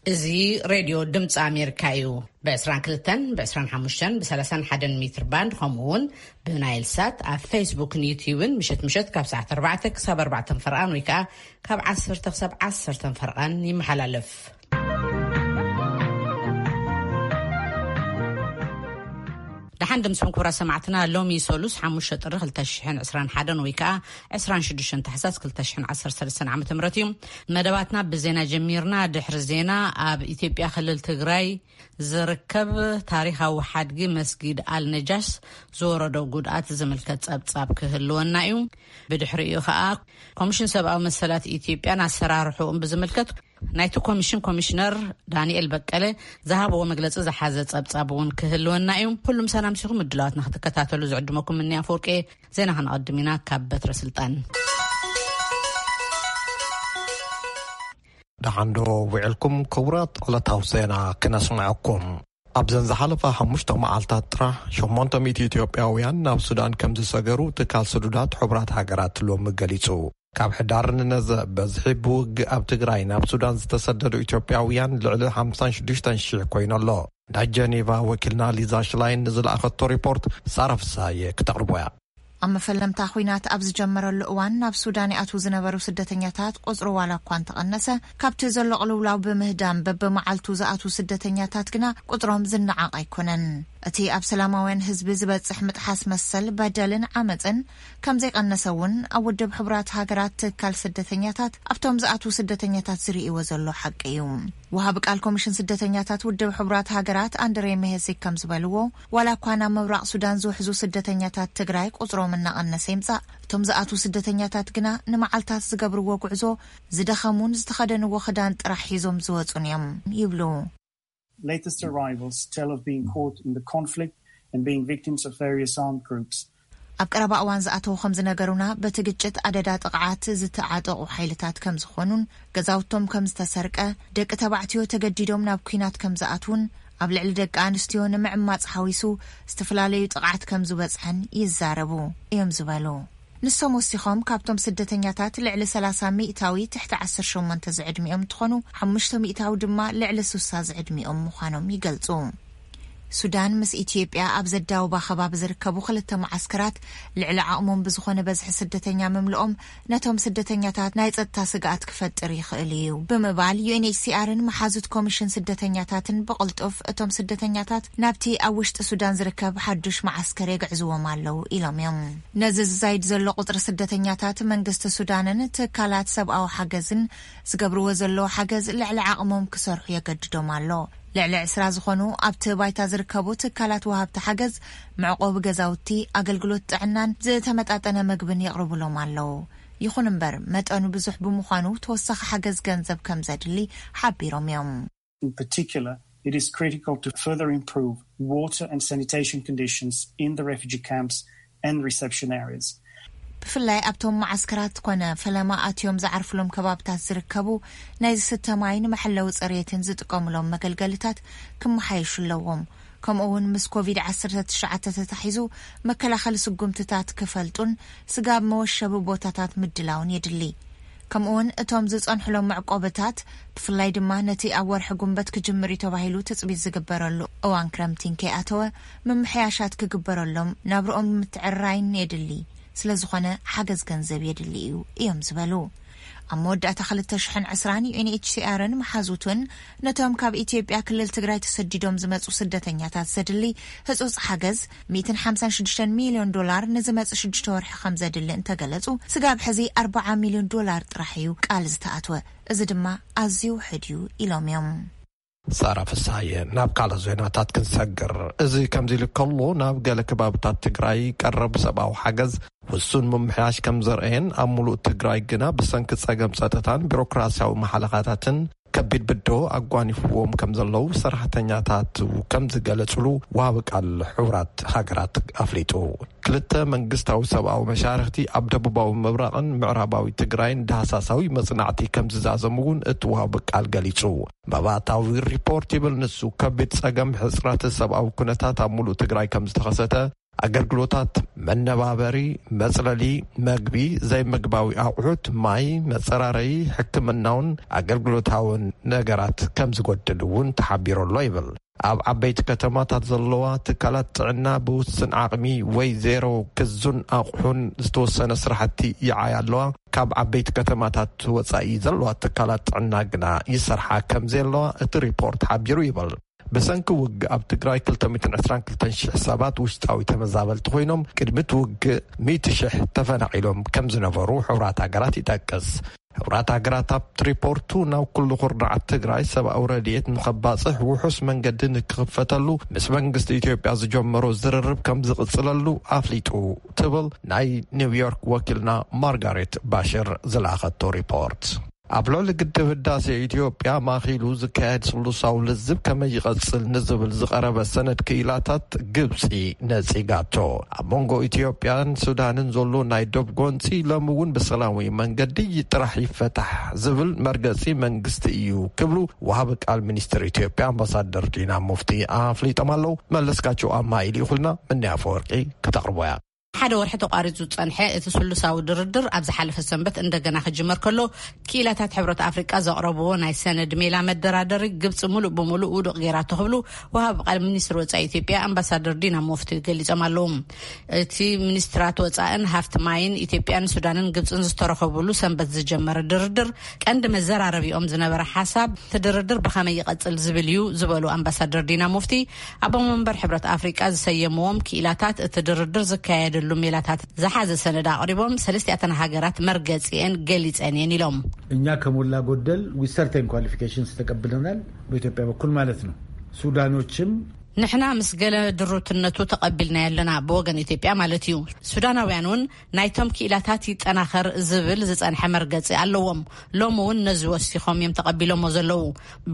እዚ ሬድዮ ድምፂ ኣሜሪካ እዩ። ብ22፣ ብ25፣ ብ31 ሜትር ባንድ፣ ከምኡ እውን ብናይል ሳት ኣብ ፌስቡክን ዩትዩብን ምሸት ምሸት ካብ ሰዓት ኣርባዕተ ክሳብ ኣርባዕተ ፈርቓን ወይ ከዓ ካብ ዓሰርተ ክሳብ ዓሰርተ ፈርቓን ይመሓላለፍ። ደሓን ድምፅኹም ክቡራት ሰማዕትና። ሎሚ ሰሉስ ሓሙሽተ ጥሪ ክልተ ሽሕን ዕስራን ሓደን ወይ ከዓ ዕስራን ሽዱሽተን ታሕሳስ ክልተ ሽሕን ዓሰርተ ሰለስተን ዓመተ ምህረት እዩ። መደባትና ብዜና ጀሚርና። ድሕሪ ዜና ኣብ ኢትዮጵያ ክልል ትግራይ ዝርከብ ታሪኻዊ ሓድጊ መስጊድ ኣልነጃሽ ዝወረዶ ጉድኣት ዝምልከት ጸብጻብ ክህልወና እዩ። ብድሕሪኡ ከዓ ኮሚሽን ሰብኣዊ መሰላት ኢትዮጵያን ኣሰራርሕኡን ብዝምልከት ናይቲ ኮሚሽን ኮሚሽነር ዳንኤል በቀለ ዝሃብዎ መግለጺ ዝሓዘ ጸብጻብ እውን ክህልወና እዩ። ኩሉም ሰላም ሲኹም ምድላዋትና ክትከታተሉ ዝዕድመኩም ምንያ ኣፈወርቂ። ዜና ከነቐድም ኢና ካብ በትረ ስልጣን። ደሓንዶ ውዕልኩም ክቡራት ዕለታዊ ዜና ክነስምዐኩም። ኣብዘን ዝሓለፋ ሓሙሽተ መዓልታት ጥራሕ ሸሞንተ ሚእቲ ኢትዮጵያውያን ናብ ሱዳን ከም ዝሰገሩ ትካል ስዱዳት ሕቡራት ሃገራት ሎሚ ገሊጹ። ካብ ሕዳር ንነዘ በዝሒ ብውግእ ኣብ ትግራይ ናብ ሱዳን ዝተሰደዱ ኢትዮጵያውያን ልዕሊ ሓምሳን ሽዱሽተን ሺሕ ኮይኑ ኣሎ። ናይ ጀኔቫ ወኪልና ሊዛ ሽላይን ንዝለኣኸቶ ሪፖርት ሳራ ፍሳየ ክተቕርቦ እያ። ኣብ መፈለምታ ኲናት ኣብ ዝጀመረሉ እዋን ናብ ሱዳን ይኣትዉ ዝነበሩ ስደተኛታት ቁጽሩ ዋላ እኳ እንተቐነሰ፣ ካብቲ ዘሎ ቅልውላው ብምህዳም በብመዓልቱ ዝኣትዉ ስደተኛታት ግና ቁጽሮም ዝነዓቕ ኣይኮነን። እቲ ኣብ ሰላማውያን ህዝቢ ዝበጽሕ ምጥሓስ መሰል በደልን ዓመጽን ከም ዘይቐነሰ እውን ኣብ ውድብ ሕቡራት ሃገራት ትካል ስደተኛታት ኣብቶም ዝኣትዉ ስደተኛታት ዝርእይዎ ዘሎ ሓቂ እዩ። ወሃቢ ቃል ኮሚሽን ስደተኛታት ውድብ ሕቡራት ሃገራት ኣንድሬ መሄሲክ ከም ዝበልዎ፣ ዋላ እኳ ናብ ምብራቕ ሱዳን ዝውሕዙ ስደተኛታት ትግራይ ቁጽሮም እናቐነሰ ይምጻእ፣ እቶም ዝኣትዉ ስደተኛታት ግና ንመዓልታት ዝገብርዎ ጉዕዞ ዝደኸሙን ዝተኸደንዎ ክዳን ጥራሕ ሒዞም ዝወጹን እዮም ይብሉ። Latest arrivals tell of being caught in the conflict and being victims of various armed groups. ኣብ ቀረባ እዋን ዝኣተዉ ከም ዝነገሩና፣ በቲ ግጭት ኣደዳ ጥቕዓት ዝተዓጠቑ ሓይልታት ከም ዝኾኑን ገዛውቶም ከም ዝተሰርቀ፣ ደቂ ተባዕትዮ ተገዲዶም ናብ ኲናት ከም ዝኣትዉን ኣብ ልዕሊ ደቂ ኣንስትዮ ንምዕማጽ ሓዊሱ ዝተፈላለዩ ጥቕዓት ከም ዝበጽሐን ይዛረቡ እዮም ዝበሉ። ንሶም ወሲኾም፣ ካብቶም ስደተኛታት ልዕሊ ሰላሳ ሚእታዊ ትሕቲ ዓሰርተ ሸሞንተ ዝዕድሚኦም እንትኾኑ፣ ሓሙሽተ ሚእታዊ ድማ ልዕሊ ሱሳ ዝዕድሚኦም ምዃኖም ይገልጹ። ሱዳን ምስ ኢትዮጵያ ኣብ ዘዳውባ ከባቢ ዝርከቡ ክልተ መዓስከራት ልዕሊ ዓቕሞም ብዝኾነ በዝሒ ስደተኛ ምምልኦም ነቶም ስደተኛታት ናይ ጸጥታ ስግኣት ክፈጥር ይኽእል እዩ ብምባል፣ ዩ ኤን ኤች ሲ ኣርን መሓዙት ኮሚሽን ስደተኛታትን ብቕልጡፍ እቶም ስደተኛታት ናብቲ ኣብ ውሽጢ ሱዳን ዝርከብ ሓዱሽ መዓስከር የግዕዝዎም ኣለዉ ኢሎም እዮም። ነዚ ዝዛይድ ዘሎ ቁጽሪ ስደተኛታት መንግስቲ ሱዳንን ትካላት ሰብኣዊ ሓገዝን ዝገብርዎ ዘለዉ ሓገዝ ልዕሊ ዓቕሞም ክሰርሑ የገድዶም ኣሎ። ልዕሊ ዕስራ ዝኾኑ ኣብቲ ባይታ ዝርከቡ ትካላት ወሃብቲ ሓገዝ መዕቆቢ ገዛውቲ፣ ኣገልግሎት ጥዕናን ዝተመጣጠነ መግብን የቕርቡሎም ኣለዉ። ይኹን እምበር፣ መጠኑ ብዙሕ ብምዃኑ ተወሳኺ ሓገዝ ገንዘብ ከም ዘድሊ ሓቢሮም እዮም። In particular, it is critical to further improve water and sanitation conditions in the refugee camps and reception areas. ብፍላይ ኣብቶም መዓስከራት ኮነ ፈለማ ኣትዮም ዝዓርፍሎም ከባብታት ዝርከቡ ናይ ዝስተ ማይን መሐለዊ ጽሬትን ዝጥቀሙሎም መገልገልታት ክመሓየሹ ኣለዎም። ከምኡ እውን ምስ ኮቪድ ዓሰርተ ትሽዓተ ተታሒዙ መከላኸሊ ስጉምትታት ክፈልጡን ስጋብ መወሸቢ ቦታታት ምድላውን የድሊ። ከምኡውን እቶም ዝጸንሕሎም መዕቆብታት፣ ብፍላይ ድማ ነቲ ኣብ ወርሒ ጉንበት ክጅምር እዩ ተባሂሉ ትጽቢት ዝግበረሉ እዋን ክረምቲ እንከይኣተወ ምምሕያሻት ክግበረሎም ናብርኦም ምትዕርራይን የድሊ። ስለ ዝኾነ ሓገዝ ገንዘብ የድሊ እዩ እዮም ዝበሉ። ኣብ መወዳእታ ክልተ ሽሕን ዕስራን ዩ ኤን ኤች ሲ ኣርን መሓዙትን ነቶም ካብ ኢትዮጵያ ክልል ትግራይ ተሰዲዶም ዝመጹ ስደተኛታት ዘድሊ ህጹጽ ሓገዝ ሚእትን ሓምሳን ሽዱሽተን ሚልዮን ዶላር ንዝመጽእ ሽዱሽተ ወርሒ ከም ዘድሊ እንተገለጹ፣ ስጋብ ሕዚ ኣርብዓ ሚልዮን ዶላር ጥራሕ እዩ ቃል ዝተኣትወ። እዚ ድማ ኣዝዩ ውሑድ እዩ ኢሎም እዮም። ሳራ ፍሳየ። ናብ ካልእ ዜናታት ክንሰግር። እዚ ከምዚ ኢሉ ከሎ፣ ናብ ገለ ከባብታት ትግራይ ቀረብ ሰብኣዊ ሓገዝ ውሱን ምምሕያሽ ከም ዘርአየን፣ ኣብ ሙሉእ ትግራይ ግና ብሰንኪ ጸገም ጸጥታን ቢሮክራሲያዊ መሓለኻታትን ከቢድ ብድሆ ኣጓኒፍዎም ከም ዘለዉ ሰራሕተኛታት ከም ዝገለጹሉ ወሃቢ ቃል ሕቡራት ሃገራት ኣፍሊጡ። ክልተ መንግስታዊ ሰብኣዊ መሻርኽቲ ኣብ ደቡባዊ ምብራቕን ምዕራባዊ ትግራይን ዳህሳሳዊ መጽናዕቲ ከም ዝዛዘሙ እውን እቲ ወሃቢ ቃል ገሊጹ። መባእታዊ ሪፖርት ይብል ንሱ፣ ከቢድ ጸገም ሕጽረት ሰብኣዊ ኩነታት ኣብ ሙሉእ ትግራይ ከም ዝተኸሰተ ኣገልግሎታት መነባበሪ፣ መጽለሊ፣ መግቢ፣ ዘይምግባዊ ኣቑሑት፣ ማይ፣ መጸራረዪ፣ ሕክምናውን ኣገልግሎታውን ነገራት ከም ዝጎድል እውን ተሓቢሩ ኣሎ ይብል። ኣብ ዓበይቲ ከተማታት ዘለዋ ትካላት ጥዕና ብውስን ዓቕሚ ወይ ዜሮ ክዙን ኣቑሑን ዝተወሰነ ስራሕቲ ይዓያ ኣለዋ። ካብ ዓበይቲ ከተማታት ወጻኢ ዘለዋ ትካላት ጥዕና ግና ይሰርሓ ከም ዘለዋ እቲ ሪፖርት ሓቢሩ ይብል። ብሰንኪ ውግእ ኣብ ትግራይ ክልተ ሚእትን ዕስራን ክልተን ሽሕ ሰባት ውሽጣዊ ተመዛበልቲ ኮይኖም፣ ቅድሚ እቲ ውግእ ሚእቲ ሽሕ ተፈናቒሎም ከም ዝነበሩ ሕቡራት ሃገራት ይጠቅስ። ሕቡራት ሃገራት ኣብቲ ሪፖርቱ ናብ ኩሉ ኩርናዓት ትግራይ ሰብኣዊ ረድኤት ንኸባፅሕ ውሑስ መንገዲ ንክኽፈተሉ ምስ መንግስቲ ኢትዮጵያ ዝጀመሮ ዝርርብ ከም ዝቕፅለሉ ኣፍሊጡ ትብል ናይ ኒውዮርክ ወኪልና ማርጋሬት ባሽር ዝለኣኸቶ ሪፖርት። ኣብ ልዕሊ ግድብ ህዳሴ ኢትዮጵያ ማእኺሉ ዝካየድ ስሉሳዊ ልዝብ ከመይ ይቐጽል ንዝብል ዝቐረበ ሰነድ ክኢላታት ግብጺ ነጺጋቶ። ኣብ መንጎ ኢትዮጵያን ሱዳንን ዘሎ ናይ ዶብ ጎንጺ ሎሚ እውን ብሰላማዊ መንገዲ ጥራሕ ይፈታሕ ዝብል መርገጺ መንግስቲ እዩ ክብሉ ወሃቢ ቃል ሚኒስትር ኢትዮጵያ ኣምባሳደር ዲና ሙፍቲ ኣፍሊጦም ኣለዉ። መለስካቸው ኣማኢል ይኹልና ምንያ ኣፈወርቂ ክተቕርቦ እያ። ሓደ ወርሒ ተቋሪጹ ዝጸንሐ እቲ ስሉሳዊ ድርድር ኣብ ዝሓለፈ ሰንበት እንደገና ክጅመር ከሎ፣ ክኢላታት ሕብረት ኣፍሪቃ ዘቕረብዎ ናይ ሰነድ ሜላ መደራደሪ ግብጺ ሙሉእ ብሙሉእ ውዱቕ ገይራቶ ክብሉ ወሃቢ ቃል ሚኒስትሪ ወጻኢ ኢትዮጵያ ኣምባሳደር ዲና ሙፍቲ ገሊጾም ኣለዉ። እቲ ሚኒስትራት ወጻእን ሃፍቲ ማይን ኢትዮጵያን ሱዳንን ግብጽን ዝተረኸቡሉ ሰንበት ዝጀመረ ድርድር ቀንዲ መዘራረቢኦም ዝነበረ ሓሳብ እቲ ድርድር ብኸመይ ይቐጽል ዝብል እዩ ዝበሉ ኣምባሳደር ዲና ሙፍቲ፣ ኣቦ መንበር ሕብረት ኣፍሪቃ ዝሰየምዎም ክኢላታት እቲ ድርድር ዝካየደሉ ሜላታት ዝሓዘ ሰነድ ኣቕሪቦም፣ ሰለስቲኣተን ሃገራት መርገጺኤን ገሊጸን እየን ኢሎም። እኛ ከሞላ ጎደል with certain qualifications ተቀብለናል፣ በኢትዮጵያ በኩል ማለት ነው። ሱዳኖችም ንሕና ምስ ገለ ድሩትነቱ ተቐቢልናዮ ኣለና፣ ብወገን ኢትዮጵያ ማለት እዩ። ሱዳናውያን እውን ናይቶም ክኢላታት ይጠናኸር ዝብል ዝጸንሐ መርገጺ ኣለዎም። ሎሚ እውን ነዚ ወሲኾም እዮም ተቐቢሎሞ ዘለዉ።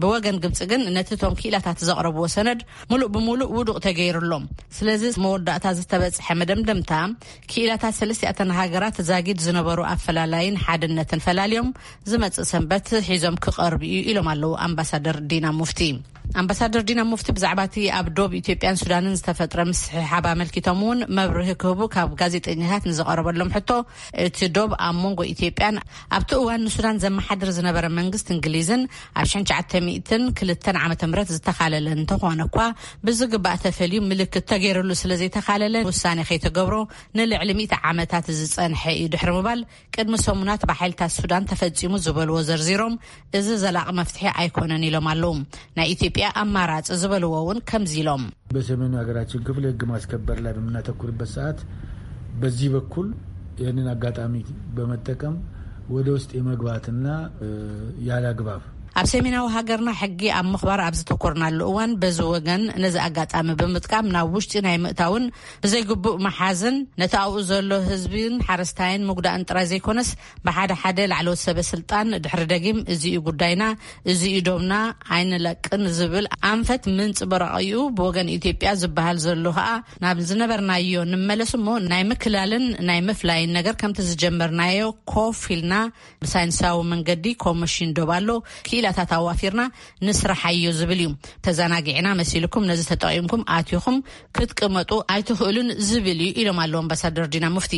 ብወገን ግብጺ ግን ነቲ እቶም ክኢላታት ዘቕረብዎ ሰነድ ሙሉእ ብሙሉእ ውዱቕ ተገይሩሎም። ስለዚ መወዳእታ ዝተበጽሐ መደምደምታ ክኢላታት ሰለስቲኣተን ሃገራት ዛጊድ ዝነበሩ ኣፈላላይን ሓድነትን ፈላልዮም ዝመጽእ ሰንበት ሒዞም ክቐርቡ እዩ ኢሎም ኣለዉ ኣምባሳደር ዲና ሙፍቲ። ኣምባሳደር ዲና ሙፍቲ ብዛዕባ እቲ ኣብ ዶብ ኢትዮጵያን ሱዳንን ዝተፈጥረ ምስሕሓብ ኣመልኪቶም እውን መብርሂ ክህቡ ካብ ጋዜጠኛታት ንዝቐረበሎም ሕቶ፣ እቲ ዶብ ኣብ መንጎ ኢትዮጵያን ኣብቲ እዋን ንሱዳን ዘመሓድር ዝነበረ መንግስቲ እንግሊዝን ኣብ ሽሕን ትሽዓተ ሚእትን ክልተን ዓመተ ምህረት ዝተኻለለ እንተኾነ እኳ፣ ብዝግባእ ተፈልዩ ምልክት ተገይሩሉ ስለ ዘይተኻለለ ውሳኔ ከይተገብሮ ንልዕሊ ሚእቲ ዓመታት ዝጸንሐ እዩ ድሕሪ ምባል፣ ቅድሚ ሰሙናት ብሓይልታት ሱዳን ተፈጺሙ ዝበልዎ ዘርዚሮም፣ እዚ ዘላቒ መፍትሒ ኣይኮነን ኢሎም ኣለዉ። ናይ ኢትዮጵያ ኣማራጺ ዝበልዎ እውን ከምዚ ኢሎም። በሰሜኑ ሀገራችን ክፍል ህግ ማስከበር ላይ በምናተኩርበት ሰዓት በዚህ በኩል ይህንን አጋጣሚ በመጠቀም ወደ ውስጥ የመግባትና ያለ አግባብ ኣብ ሰሜናዊ ሃገርና ሕጊ ኣብ ምኽባር ኣብ ዝተኮርናሉ እዋን፣ በዚ ወገን ነዚ ኣጋጣሚ ብምጥቃም ናብ ውሽጢ ናይ ምእታውን ብዘይግቡእ መሓዝን ነቲ ኣብኡ ዘሎ ህዝብን ሓረስታይን ምጉዳእን ጥራይ ዘይኮነስ፣ ብሓደ ሓደ ላዕለዎት ሰበ ስልጣን ድሕሪ ደጊም፣ እዚ እዩ ጉዳይና፣ እዚ እዩ ዶብና፣ ኣይንለቅን ዝብል ኣንፈት ምንጽብራቕ እዩ። ብወገን ኢትዮጵያ ዝበሃል ዘሎ ከኣ፣ ናብ ዝነበርናዮ ንመለስ እሞ፣ ናይ ምክላልን ናይ ምፍላይን ነገር ከምቲ ዝጀመርናዮ ኮፍ ኢልና ብሳይንሳዊ መንገዲ ኮሚሽን ዶብ ኣሎ፣ ክኢላታት ኣዋፊርና ንስርሓዮ ዝብል እዩ። ተዘናጊዕና መሲልኩም ነዚ ተጠቒምኩም ኣቲኹም ክትቅመጡ ኣይትኽእሉን ዝብል እዩ ኢሎም ኣለዉ ኣምባሳደር ዲና ሙፍቲ።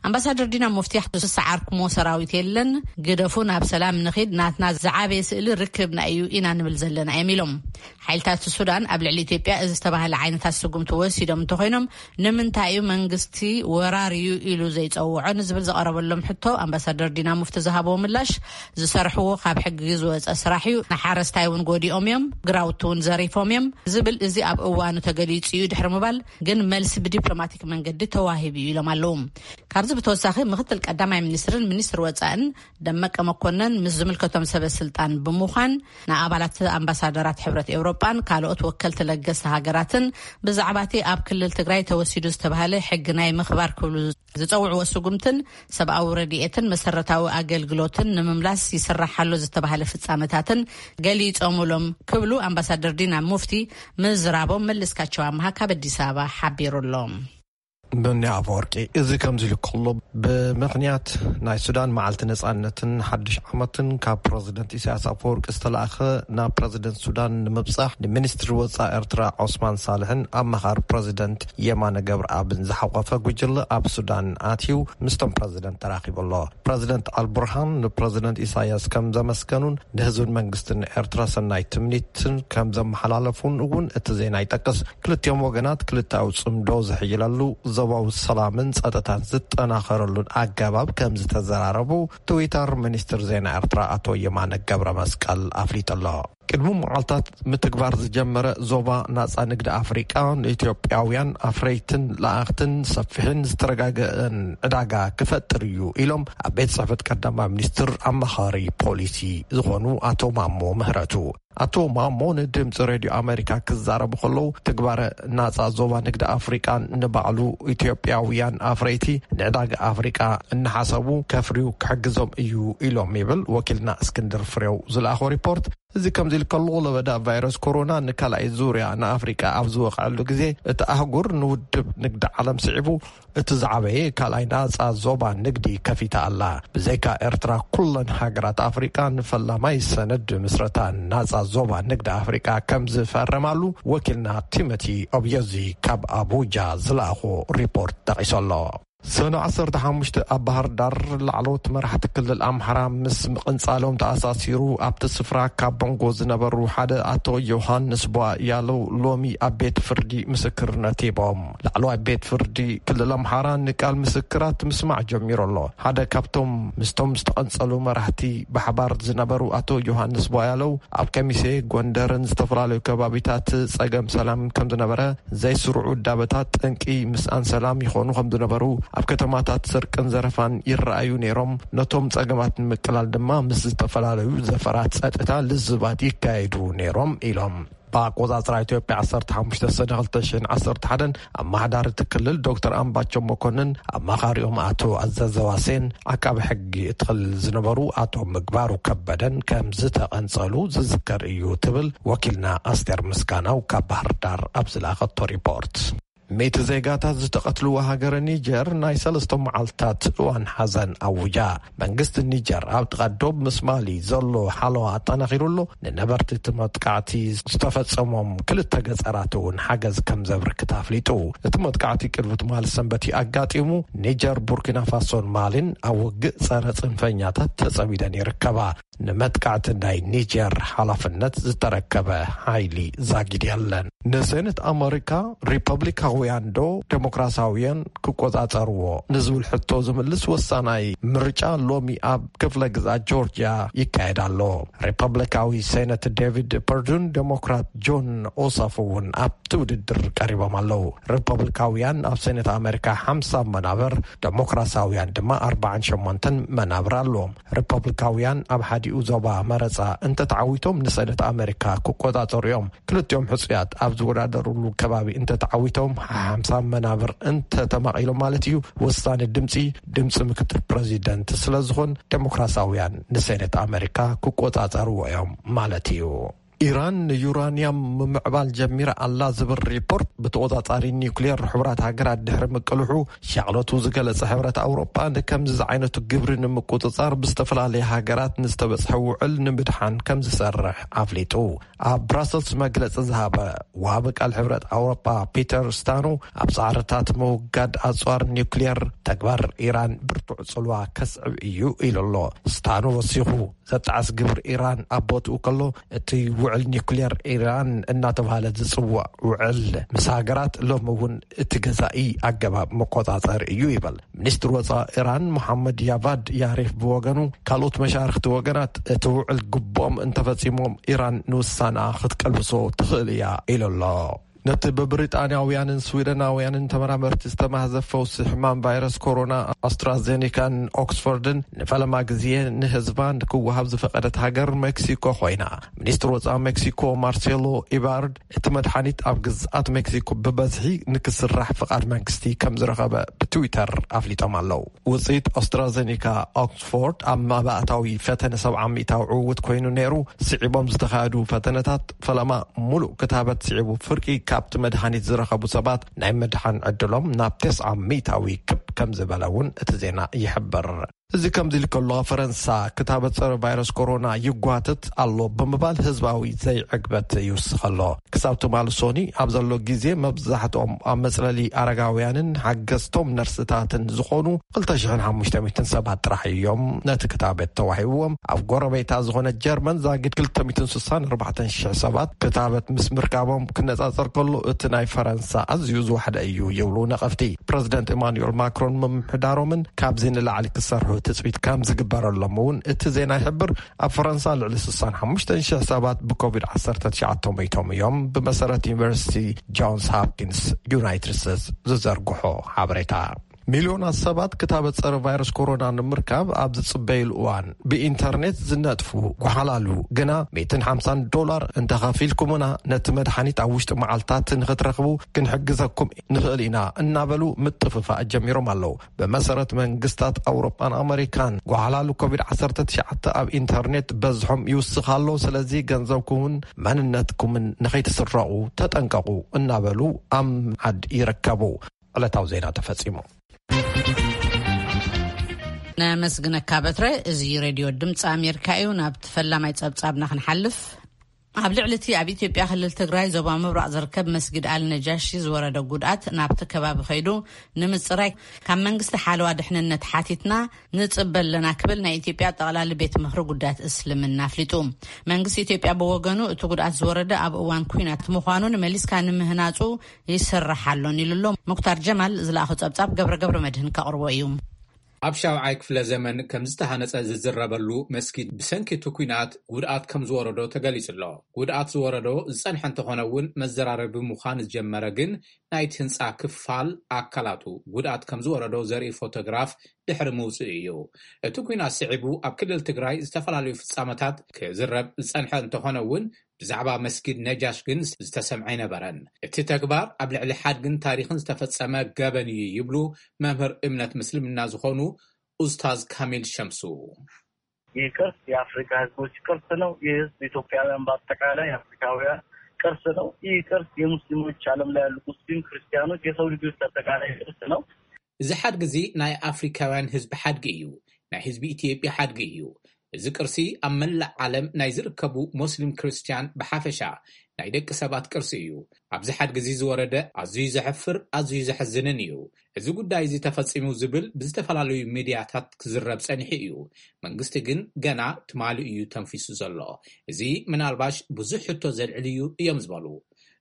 ኣምባሳደር ዲና ሙፍቲ፣ ዝሰዓርኩሞ ሰራዊት የለን፣ ግደፉ፣ ናብ ሰላም ንኺድ፣ ናትና ዝዓበየ ስእሊ ርክብና እዩ ኢና ንብል ዘለና እዮም ኢሎም። ሓይልታት ሱዳን ኣብ ልዕሊ ኢትዮጵያ እዚ ዝተባህለ ዓይነታት ስጉምቲ ወሲዶም እንተኾይኖም፣ ንምንታይ እዩ መንግስቲ ወራር እዩ ኢሉ ዘይጸውዖ ንዝብል ዝቐረበሎም ሕቶ፣ ኣምባሳደር ዲና ሙፍቲ ዝሃብዎ ምላሽ፣ ዝሰርሕዎ ካብ ሕጊ ዝወጸ ስራሕ እዩ፣ ንሓረስታይ እውን ጎዲኦም እዮም፣ ግራውቲ እውን ዘሪፎም እዮም ዝብል፣ እዚ ኣብ እዋኑ ተገሊጹ እዩ ድሕሪ ምባል፣ ግን መልሲ ብዲፕሎማቲክ መንገዲ ተዋሂቡ እዩ ኢሎም ኣለዉ። ካብዚ ብተወሳኺ፣ ምክትል ቀዳማይ ሚኒስትርን ሚኒስትሪ ወጻእን ደመቀ መኮነን ምስ ዝምልከቶም ሰበ ስልጣን ብምዃን፣ ንኣባላት ኣምባሳደራት ሕብረት ኤውሮጳን ካልኦት ወከልቲ ለገስቲ ሃገራትን ብዛዕባ እቲ ኣብ ክልል ትግራይ ተወሲዱ ዝተባህለ ሕጊ ናይ ምኽባር ክብሉ ዝጸውዕዎ ስጉምትን ሰብኣዊ ረድኤትን መሰረታዊ ኣገልግሎትን ንምምላስ ይስራሕ ኣሎ ዝተባህለ ፍጻመታትን ገሊጾምሎም ክብሉ ኣምባሳደር ዲና ሙፍቲ ምዝራቦም መለስካቸው ኣምሃ ካብ ኣዲስ ኣበባ ሓቢሩ ኣሎ። ብኒ ኣፈወርቂ። እዚ ከምዚ ኢሉ ከሎ፣ ብምኽንያት ናይ ሱዳን መዓልቲ ነጻነትን ሓድሽ ዓመትን፣ ካብ ፕረዚደንት ኢሳያስ ኣፈወርቂ ዝተላእኸ ናብ ፕረዚደንት ሱዳን ንምብጻሕ፣ ንሚኒስትሪ ወጻኢ ኤርትራ ዖስማን ሳልሕን ኣማኻሪ ፕረዚደንት የማነ ገብረኣብን ዝሓቆፈ ጉጅለ ኣብ ሱዳን ኣትዩ ምስቶም ፕረዚደንት ተራኺቡ ኣሎ። ፕረዚደንት ኣልቡርሃን ንፕረዚደንት ኢሳያስ ከም ዘመስገኑን ንህዝብን መንግስትን ኤርትራ ሰናይ ትምኒትን ከም ዘመሓላለፉን እውን እቲ ዜና ይጠቅስ። ክልቲኦም ወገናት ክልታዊ ጽምዶ ዝሕይለሉ፣ ዞባዊ ሰላምን ጸጥታን ዝጠናኸረሉን ኣገባብ ከም ዝተዘራረቡ ትዊተር ሚኒስትር ዜና ኤርትራ ኣቶ የማነ ገብረ መስቀል ኣፍሊጡ ኣሎ። ቅድሚ መዓልታት ምትግባር ዝጀመረ ዞባ ናጻ ንግዲ ኣፍሪቃ፣ ንኢትዮጵያውያን ኣፍረይትን ለኣኽትን ሰፊሕን ዝተረጋገአን ዕዳጋ ክፈጥር እዩ ኢሎም ኣብ ቤት ጽሕፈት ቀዳማይ ሚኒስትር ኣማኻሪ ፖሊሲ ዝኾኑ ኣቶ ማሞ ምህረቱ። ኣቶ ማሞ ንድምፂ ሬድዮ ኣሜሪካ ክዛረቡ ከለዉ፣ ትግባረ ናጻ ዞባ ንግዲ ኣፍሪቃ ንባዕሉ ኢትዮጵያውያን ኣፍረይቲ ንዕዳጋ ኣፍሪቃ እናሓሰቡ ከፍርዩ ክሕግዞም እዩ ኢሎም ይብል ወኪልና እስክንድር ፍሬው ዝለኣኾ ሪፖርት። እዚ ከምዚ ኢሉ ከሎ፣ ለበዳ ቫይረስ ኮሮና ንካልኣይ ዙርያ ንኣፍሪቃ ኣብ ዝወቕዐሉ ግዜ፣ እቲ ኣህጉር ንውድብ ንግዲ ዓለም ስዒቡ እቲ ዝዓበየ ካልኣይ ናጻ ዞባ ንግዲ ከፊታ ኣላ። ብዘይካ ኤርትራ፣ ኩለን ሃገራት ኣፍሪቃ ንፈላማይ ሰነድ ምስረታ ናጻ ዞባ ንግዲ ኣፍሪቃ ከም ዝፈረማሉ ወኪልና ቲሞቲ ኦብዮዚ ካብ ኣቡጃ ዝለኣኾ ሪፖርት ጠቒሱ ኣሎ። ሰነ ዓሰርተ ሓሙሽተ ኣብ ባህር ዳር፣ ላዕለዎት መራሕቲ ክልል ኣምሓራ ምስ ምቕንጻሎም ተኣሳሲሩ ኣብቲ ስፍራ ካብ ቦንጎ ዝነበሩ ሓደ ኣቶ ዮሃንስ ቧ ያለው ሎሚ ኣብ ቤት ፍርዲ ምስክርነት ሂቦም። ላዕለዋይ ቤት ፍርዲ ክልል ኣምሓራ ንቃል ምስክራት ምስማዕ ጀሚሩ ኣሎ። ሓደ ካብቶም ምስቶም ዝተቐንጸሉ መራሕቲ ብሓባር ዝነበሩ ኣቶ ዮሃንስ ቧ ያለው፣ ኣብ ከሚሴ፣ ጎንደርን ዝተፈላለዩ ከባቢታት ጸገም ሰላም ከም ዝነበረ፣ ዘይስሩዕ ውዳበታት ጠንቂ ምስኣን ሰላም ይኾኑ ከም ዝነበሩ፣ ኣብ ከተማታት ስርቅን ዘረፋን ይረኣዩ ነይሮም። ነቶም ጸገማት ንምቅላል ድማ ምስ ዝተፈላለዩ ዘፈራት ጸጥታ ልዝባት ይካየዱ ነይሮም ኢሎም። ብኣቆጻጽራ ኢትዮጵያ ዓሰርተ ሓሙሽተ ሰነ ክልተ ሽሕን ዓሰርተ ሓደን ኣመሓዳሪ እቲ ክልል ዶክተር ኣምባቸው መኮንን፣ ኣማኻሪኦም ኣቶ ኣዘዘ ዋሴን፣ ዓቃቢ ሕጊ እቲ ክልል ዝነበሩ ኣቶ ምግባሩ ከበደን ከም ዝተቐንጸሉ ዝዝከር እዩ ትብል ወኪልና ኣስቴር ምስጋናው ካብ ባህር ዳር ኣብ ዝለኣኸቶ ሪፖርት። ሚእቲ ዜጋታት ዝተቐትልዋ ሃገረ ኒጀር ናይ ሰለስተ መዓልታት እዋን ሓዘን ኣውጃ። መንግስቲ ኒጀር ኣብ ጥቓ ዶብ ምስ ማሊ ዘሎ ሓለዋ ኣጠናኺሩ ኣሎ። ንነበርቲ እቲ መጥቃዕቲ ዝተፈጸሞም ክልተ ገጸራት እውን ሓገዝ ከም ዘብርክት ኣፍሊጡ። እቲ መጥቃዕቲ ቅድሚ ትማሊ ሰንበት እዩ ኣጋጢሙ። ኒጀር፣ ቡርኪና ፋሶን ማሊን ኣብ ውግእ ጸረ ጽንፈኛታት ተጸሚደን ይርከባ። ንመጥቃዕቲ ናይ ኒጀር ሓላፍነት ዝተረከበ ሓይሊ ዛጊድ የለን። ንሴኔት ኣመሪካ ሪፐብሊካውያን ዶ ዴሞክራሲያውያን ክቆጻጸርዎ ንዝብል ሕቶ ዝምልስ ወሳናይ ምርጫ ሎሚ ኣብ ክፍለ ግዝኣት ጆርጅያ ይካየድ ኣሎ። ሪፐብሊካዊ ሴኔት ዴቪድ ፐርዱን ዴሞክራት ጆን ኦሳፍ እውን ኣብቲ ውድድር ቀሪቦም ኣለዉ። ሪፐብሊካውያን ኣብ ሴኔት ኣመሪካ ሓምሳ መናብር፣ ዴሞክራሲያውያን ድማ ኣርባዓን ሸሞንተን መናብር ኣለዎም። ሪፐብሊካውያን ኣብ ሓዲኡ ዞባ መረጻ እንተተዓዊቶም ንሰነት ኣመሪካ ክቆጻጸሩ እዮም። ክልቲኦም ሕጹያት ኣብ ዝወዳደሩሉ ከባቢ እንተተዓዊቶም ሓምሳ መናብር እንተተማቒሎም ማለት እዩ። ወሳኒ ድምጺ፣ ድምጺ ምክትል ፕረዚደንት ስለ ዝኾን ዴሞክራሲያውያን ንሰነት ኣመሪካ ክቆጻጸርዎ እዮም ማለት እዩ። ኢራን ንዩራንያም ምምዕባል ጀሚራ ኣላ ዝብል ሪፖርት ብተቖጻጻሪ ኒውክሌር ሕቡራት ሃገራት ድሕሪ ምቅልሑ፣ ሻቕለቱ ዝገለጸ ሕብረት ኣውሮጳ ንከምዚ ዝዓይነቱ ግብሪ ንምቁጽጻር ብዝተፈላለየ ሃገራት ንዝተበጽሐ ውዕል ንምድሓን ከም ዝሰርሕ ኣፍሊጡ። ኣብ ብራሰልስ መግለጺ ዝሃበ ወሃቢ ቃል ሕብረት ኣውሮጳ ፒተር ስታኑ፣ ኣብ ጻዕርታት ምውጋድ ኣጽዋር ኒውክሌር፣ ተግባር ኢራን ብርቱዕ ጽልዋ ከስዕብ እዩ ኢሉ ኣሎ። ስታኑ ወሲኹ፣ ዘጣዕስ ግብሪ ኢራን ኣብ ቦትኡ ከሎ፣ እቲ ውዕል ኒውክሌር ኢራን እናተባህለ ዝጽዋዕ ውዕል ምስ ሃገራት ሎሚ እውን እቲ ገዛኢ ኣገባብ መቆጻጸሪ እዩ ይበል። ሚኒስትር ወጻኢ ኢራን መሓመድ ያቫድ ያሪፍ ብወገኑ፣ ካልኦት መሻርኽቲ ወገናት እቲ ውዕል ግቡኦም እንተፈጺሞም፣ ኢራን ንውሳና ክትቀልብሶ ትኽእል እያ ኢሉ ኣሎ። ነቲ ብብሪጣንያውያንን ስዊደናውያንን ተመራመርቲ ዝተማህዘ ፈውሲ ሕማም ቫይረስ ኮሮና ኣስትራዜኒካን ኦክስፎርድን ንፈለማ ግዜ ንህዝባ ንክወሃብ ዝፈቐደት ሃገር ሜክሲኮ ኮይና። ሚኒስትር ወጻኢ ሜክሲኮ ማርሴሎ ኢባርድ፣ እቲ መድሓኒት ኣብ ግዝኣት ሜክሲኮ ብበዝሒ ንክስራሕ ፍቓድ መንግስቲ ከም ዝረኸበ ብትዊተር ኣፍሊጦም ኣለዉ። ውጽኢት ኣስትራዜኒካ ኦክስፎርድ ኣብ መባእታዊ ፈተነ ሰብዓ ሚእታዊ ዕውት ኮይኑ ነይሩ። ስዒቦም ዝተኻየዱ ፈተነታት ፈለማ ሙሉእ ክታበት ስዒቡ ፍርቂ ኣብቲ መድሃኒት ዝረኸቡ ሰባት ናይ ምድሓን ዕድሎም ናብ ተስዓ ሚእታዊ ክብ ከም ዝበለ እውን እቲ ዜና ይሕብር። እዚ ከምዚ ኢሉ ከሎ፣ ፈረንሳ ክታበት ጸረ ቫይረስ ኮሮና ይጓተት ኣሎ ብምባል ህዝባዊ ዘይዕግበት ይውስኸ ኣሎ። ክሳብ ትማሊ ሶኒ ኣብ ዘሎ ግዜ፣ መብዛሕትኦም ኣብ መጽለሊ ኣረጋውያንን ሓገዝቶም ነርስታትን ዝኾኑ ክልተ ሽሕን ሓሙሽተ ሚእትን ሰባት ጥራሕ እዮም ነቲ ክታበት ተዋሂብዎም። ኣብ ጎረቤታ ዝኾነ ጀርመን ዛጊድ ክልተ ሚእትን ስሳን ኣርባዕተን ሽሕ ሰባት ክታበት ምስ ምርካቦም ክነጻጸር ከሎ፣ እቲ ናይ ፈረንሳ ኣዝዩ ዝወሓደ እዩ ይብሉ ነቐፍቲ። ፕረዚደንት ኢማኑኤል ማክሮን ምምሕዳሮምን ካብዚ ንላዕሊ ክሰርሑ ትጽቢት ከም ዝግበረሎም እውን እቲ ዜና ይሕብር። ኣብ ፈረንሳ ልዕሊ ስሳን ሓሙሽተን ሽሕ ሰባት ብኮቪድ ዓሰርተ ትሽዓተ ሞይቶም እዮም፣ ብመሰረት ዩኒቨርሲቲ ጆንስ ሆፕኪንስ ዩናይትድ ስቴትስ ዝዘርግሖ ሓበሬታ። ሚልዮናት ሰባት ክታበት ጸረ ቫይረስ ኮሮና ንምርካብ ኣብ ዝጽበይሉ እዋን፣ ብኢንተርኔት ዝነጥፉ ጓሓላሉ ግና ሚእትን ሓምሳን ዶላር እንተኸፊልኩምና፣ ነቲ መድሓኒት ኣብ ውሽጢ መዓልታት ንኽትረኽቡ ክንሕግዘኩም ንኽእል ኢና እናበሉ ምጥፍፋእ ጀሚሮም ኣለዉ። ብመሰረት መንግስታት ኣውሮጳን ኣመሪካን፣ ጓሓላሉ ኮቪድ ዓሰርተ ትሽዓተ ኣብ ኢንተርኔት በዝሖም ይውስኽ ኣሎ። ስለዚ ገንዘብኩምን መንነትኩምን ንኸይትስረቑ ተጠንቀቑ እናበሉ ኣብ ምምዓድ ይርከቡ። ዕለታዊ ዜና ተፈጺሙ። ነመስግነካ በትረ። እዚ ሬድዮ ድምፂ ኣሜሪካ እዩ። ናብ ፈላማይ ጸብጻብና ክንሓልፍ፣ ኣብ ልዕሊ እቲ ኣብ ኢትዮጵያ ክልል ትግራይ ዞባ ምብራቕ ዝርከብ መስጊድ ኣል ነጃሺ ዝወረደ ጉድኣት ናብቲ ከባቢ ከይዱ ንምፅራይ ካብ መንግስቲ ሓለዋ ድሕንነት ሓቲትና ንፅበ ኣለና ክብል ናይ ኢትዮጵያ ጠቕላሊ ቤት ምኽሪ ጉዳያት እስልምና ኣፍሊጡ። መንግስቲ ኢትዮጵያ ብወገኑ እቲ ጉድኣት ዝወረደ ኣብ እዋን ኲናት ምዃኑን መሊስካ ንምህናፁ ይስራሕ ኣሎን ኢሉ ኣሎ። ሙክታር ጀማል ዝለኣኾ ጸብጻብ ገብረ ገብረ መድህን ከቕርቦ እዩ። ኣብ ሻውዓይ ክፍለ ዘመን ከም ዝተሃነጸ ዝዝረበሉ መስጊድ ብሰንኪ እቲ ኲናት ጉድኣት ከም ዝወረዶ ተገሊጹ ኣሎ። ጉድኣት ዝወረዶ ዝጸንሐ እንተኾነ እውን መዘራረቢ ምዃን ዝጀመረ ግን ናይቲ ህንጻ ክፋል ኣካላቱ ጉድኣት ከም ዝወረዶ ዘርኢ ፎቶግራፍ ድሕሪ ምውጽኡ እዩ። እቲ ኲናት ስዒቡ ኣብ ክልል ትግራይ ዝተፈላለዩ ፍጻመታት ክዝረብ ዝጸንሐ እንተኾነ እውን ብዛዕባ መስጊድ ነጃሽ ግን ዝተሰምዐ ኣይነበረን። እቲ ተግባር ኣብ ልዕሊ ሓድግን ታሪኽን ዝተፈጸመ ገበን እዩ ይብሉ መምህር እምነት ምስልምና ዝኾኑ ኡስታዝ ካሚል ሸምሱ። ይህ ቅርስ የአፍሪካ ህዝቦች ቅርስ ነው። ይህ ህዝብ ኢትዮጵያውያን በአጠቃላይ አፍሪካውያን ቅርስ ነው። ይህ ቅርስ የሙስሊሞች፣ ዓለም ላይ ያሉ ሙስሊም ክርስቲያኖች፣ የሰው ልጆች አጠቃላይ ቅርስ ነው። እዚ ሓድጊ እዚ ናይ ኣፍሪካውያን ህዝቢ ሓድጊ እዩ። ናይ ህዝቢ ኢትዮጵያ ሓድጊ እዩ። እዚ ቅርሲ ኣብ መላእ ዓለም ናይ ዝርከቡ ሞስሊም ክርስትያን ብሓፈሻ ናይ ደቂ ሰባት ቅርሲ እዩ። ኣብዚ ሓድጊ እዚ ዝወረደ ኣዝዩ ዘሕፍር፣ ኣዝዩ ዘሕዝንን እዩ። እዚ ጉዳይ እዚ ተፈጺሙ ዝብል ብዝተፈላለዩ ሚድያታት ክዝረብ ጸኒሑ እዩ። መንግስቲ ግን ገና ትማሊ እዩ ተንፊሱ ዘሎ። እዚ ምናልባሽ ብዙሕ ሕቶ ዘልዕል እዩ እዮም ዝበሉ።